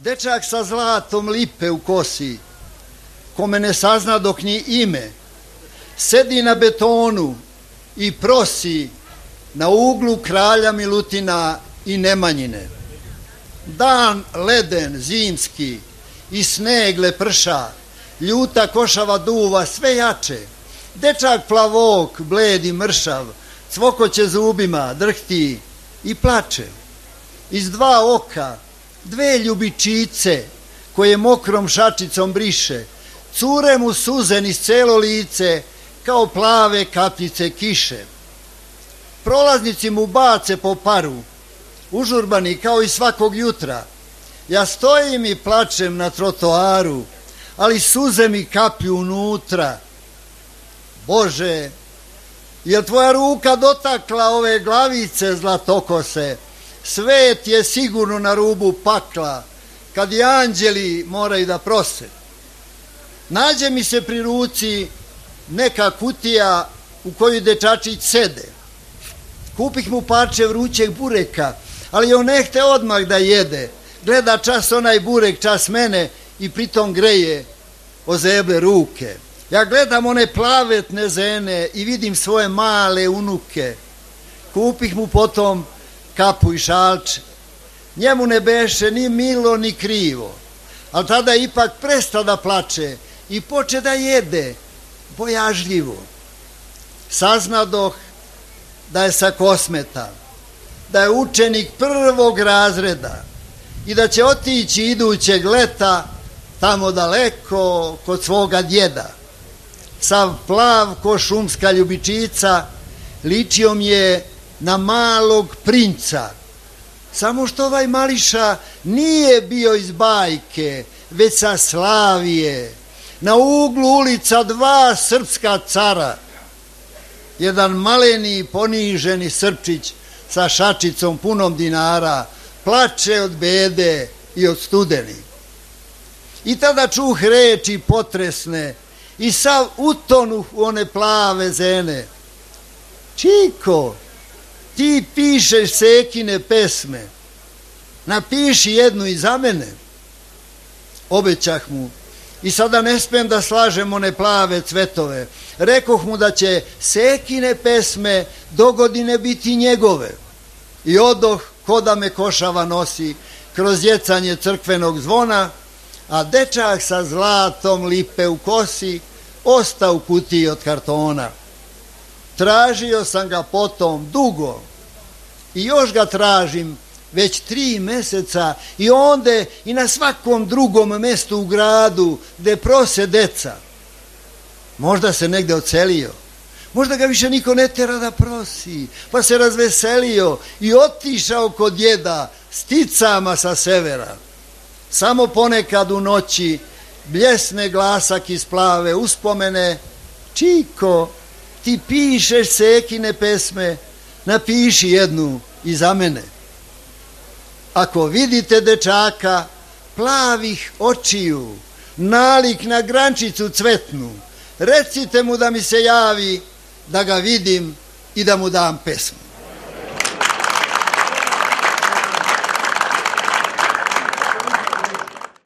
Dečak sa zlatom lipe u kosi, kome ne sazna dok ni ime, sedi na betonu i prosi na uglu Kralja Milutina i Nemanjine. Dan leden, zimski, i sneg leprša, ljuta košava duva sve jače. Dečak plavok, bled i mršav, cvokoće zubima, drhti i plače. Iz dva oka, dve ljubičice, koje mokrom šačicom briše, cure mu suze niz celo lice, kao plave kapljice kiše. Prolaznici mu bace po paru, užurbani kao i svakog jutra. Ja stojim i plačem na trotoaru, ali suze mi kaplju unutra. Bože, je tvoja ruka dotakla ove glavice zlatokose? Svet je sigurno na rubu pakla, kad i anđeli moraju da prose. Nađe mi se pri ruci neka kutija u koju dečačić sede. Kupih mu parče vrućeg bureka, ali on ne hte odmah da jede. Gleda čas onaj burek, čas mene i pritom greje ozeble ruke. Ja gledam one plavetne zene i vidim svoje male unuke. Kupih mu potom kapu i šalče. Njemu ne beše ni milo ni krivo, ali tada ipak presta da plače i poče da jede bojažljivo. Saznadoh da je sa Kosmeta, da je učenik prvog razreda i da će otići idućeg leta tamo daleko kod svoga djeda. Sav plav ko šumska ljubičica, ličio mi je na malog princa. Samo što ovaj mališa nije bio iz bajke, već sa Slavije. Na uglu ulica dva srpska cara. Jedan maleni poniženi Srpčić sa šačicom punom dinara plače od bede i od studeni. I tada čuh reči potresne i sav utonuh u one plave zene. Čiko, ti pišeš Sekine pesme, napiši jednu i za mene. Obećah mu i sada ne smem da slažem one plave cvetove. Rekoh mu da će Sekine pesme dogodine biti njegove. I odoh ko da me košava nosi kroz jecanje crkvenog zvona, a dečak sa zlatom lipe u kosi osta u kutiji od kartona. Tražio sam ga potom dugo i još ga tražim već 3 meseca i onde i na svakom drugom mestu u gradu gde prose deca. Možda se negde odselio, možda ga više niko ne tera da prosi, pa se razveselio i otišao kod djeda sticama sa severa. Samo ponekad u noći bljesne glasak iz plave uspomene. Čiko, ti pišeš Sekine pesme, napiši jednu i za mene. Ako vidite dečaka plavih očiju, nalik na grančicu cvetnu, recite mu da mi se javi, da ga vidim i da mu dam pesmu.